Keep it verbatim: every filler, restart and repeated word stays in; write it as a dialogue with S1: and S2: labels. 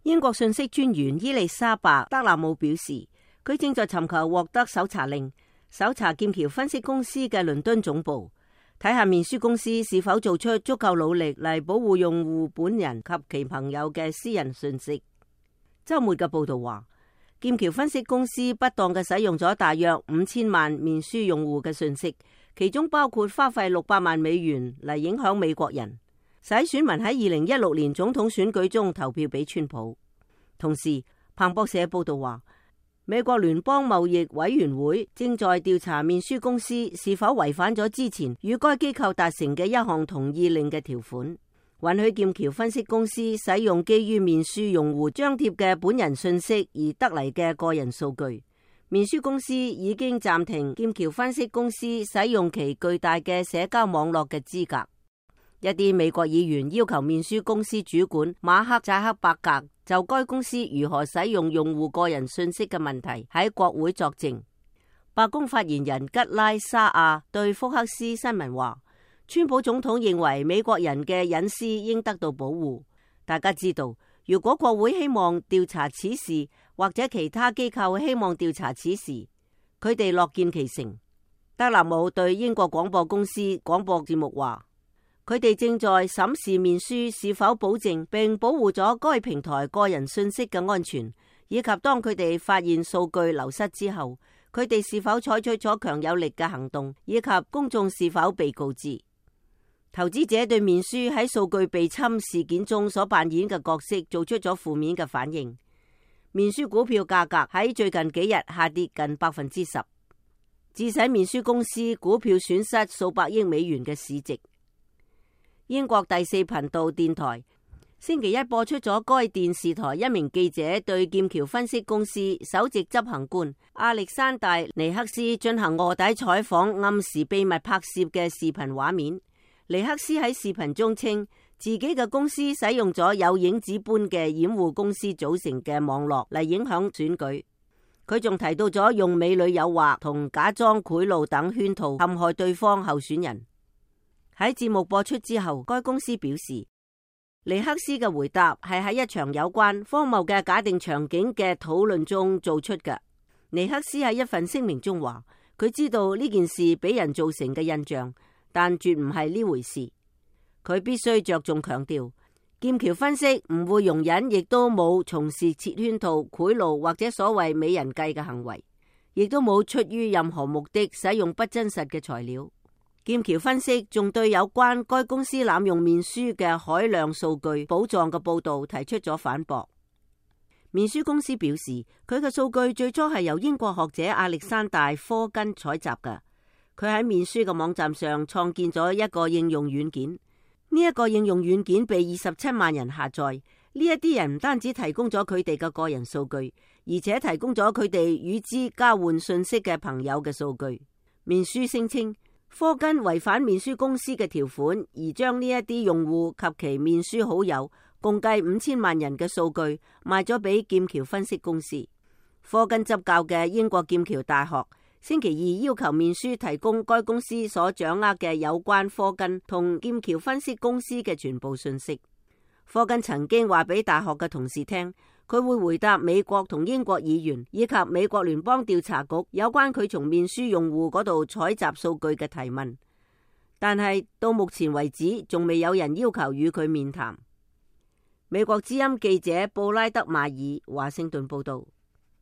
S1: 英國信息專員伊麗莎白·德納姆表示，佢正在尋求獲得搜查令，搜查劍橋分析公司嘅倫敦總部，睇下面書公司是否做出足夠努力嚟保護用戶本人及其朋友嘅私人信息。週末嘅報導話，劍橋分析公司不當嘅使用咗大約五千萬面書用戶嘅信息，其中包括花費六百萬美元嚟影響美國人，使選民喺二零一六年總統選舉中投票俾川普。同時，彭博社報導話，美國聯邦貿易委員會正在調查面書公司是否違反咗之前與該機構達成嘅一項同意令嘅條款，允許劍橋分析公司使用基於面書用戶張貼嘅本人信息而得嚟嘅個人數據。面書公司已經暫停劍橋分析公司使用其巨大嘅社交網絡嘅資格。一啲美國議員要求面書公司主管馬克扎克伯格就該公司如何使用用戶個人信息嘅問題喺國會作證。白宮發言人吉拉沙亞對福克斯新聞話，川普總統認為美國人嘅隱私應得到保護。大家知道，如果國會希望調查此事，或者其他機構希望調查此事，佢哋樂見其成。德納姆對英國廣播公司廣播節目話，佢哋正在審視面書是否保證並保護咗該平台個人信息嘅安全，以及當佢哋發現數據流失之後，佢哋是否採取咗強有力嘅行動，以及公眾是否被告知。投資者對面書喺數據被侵事件中所扮演嘅角色做出咗負面嘅反應。面書股票價格喺最近幾日下跌近百分之十，致使面書公司股票損失數百億美元嘅市值。英國第四頻道電台星期一播出咗該電視台一名記者對劍橋分析公司首席執行官亞歷山大尼克斯進行臥底採訪，暗時秘密拍攝嘅視頻畫面。尼克斯喺視頻中稱自己嘅公司使用咗有影子般嘅掩護公司組成嘅網絡嚟影響選舉。佢仲提到咗用美女誘惑同假裝賄賂等圈套陷害對方候選人。喺節目播出之後，該公司表示，尼克斯嘅回答係喺一場有關荒謬嘅假定場景嘅討論中做出嘅。尼克斯喺一份聲明中話，佢知道呢件事俾人造成嘅印象，但絕唔係呢回事。佢必須着重強調，劍橋分析唔會容忍，亦都冇從事設圈套、賄賂或者所謂美人計嘅行為，亦都冇出於任何目的使用不真實嘅材料。劍橋分析仲對有關該公司濫用面書嘅海量數據寶藏嘅報導提出咗反駁。面書公司表示，佢嘅數據最初係由英國學者亞歷山大科根採集嘅。佢喺面書嘅網站上創建咗一個應用軟件，呢、這、一個應用軟件被二十七萬人下載。呢一啲人唔單止提供咗佢哋嘅個人數據，而且提供咗佢哋與之交換信息嘅朋友嘅數據。面書聲稱，科根違反面書公司嘅條款，而將呢一啲用戶及其面書好友共計五千萬人嘅數據賣咗俾劍橋分析公司。科根執教嘅英國劍橋大學星期二要求面書提供該公司所掌握嘅有關科根同劍橋分析公司嘅全部信息。科根曾經話俾大學嘅同事聽，佢會回答美國同英國議員以及美國聯邦調查局有關佢從面書用戶嗰度採集數據嘅提問，但係到目前為止仲未有人要求與佢面談。美國之音記者布拉德馬爾華盛頓報道。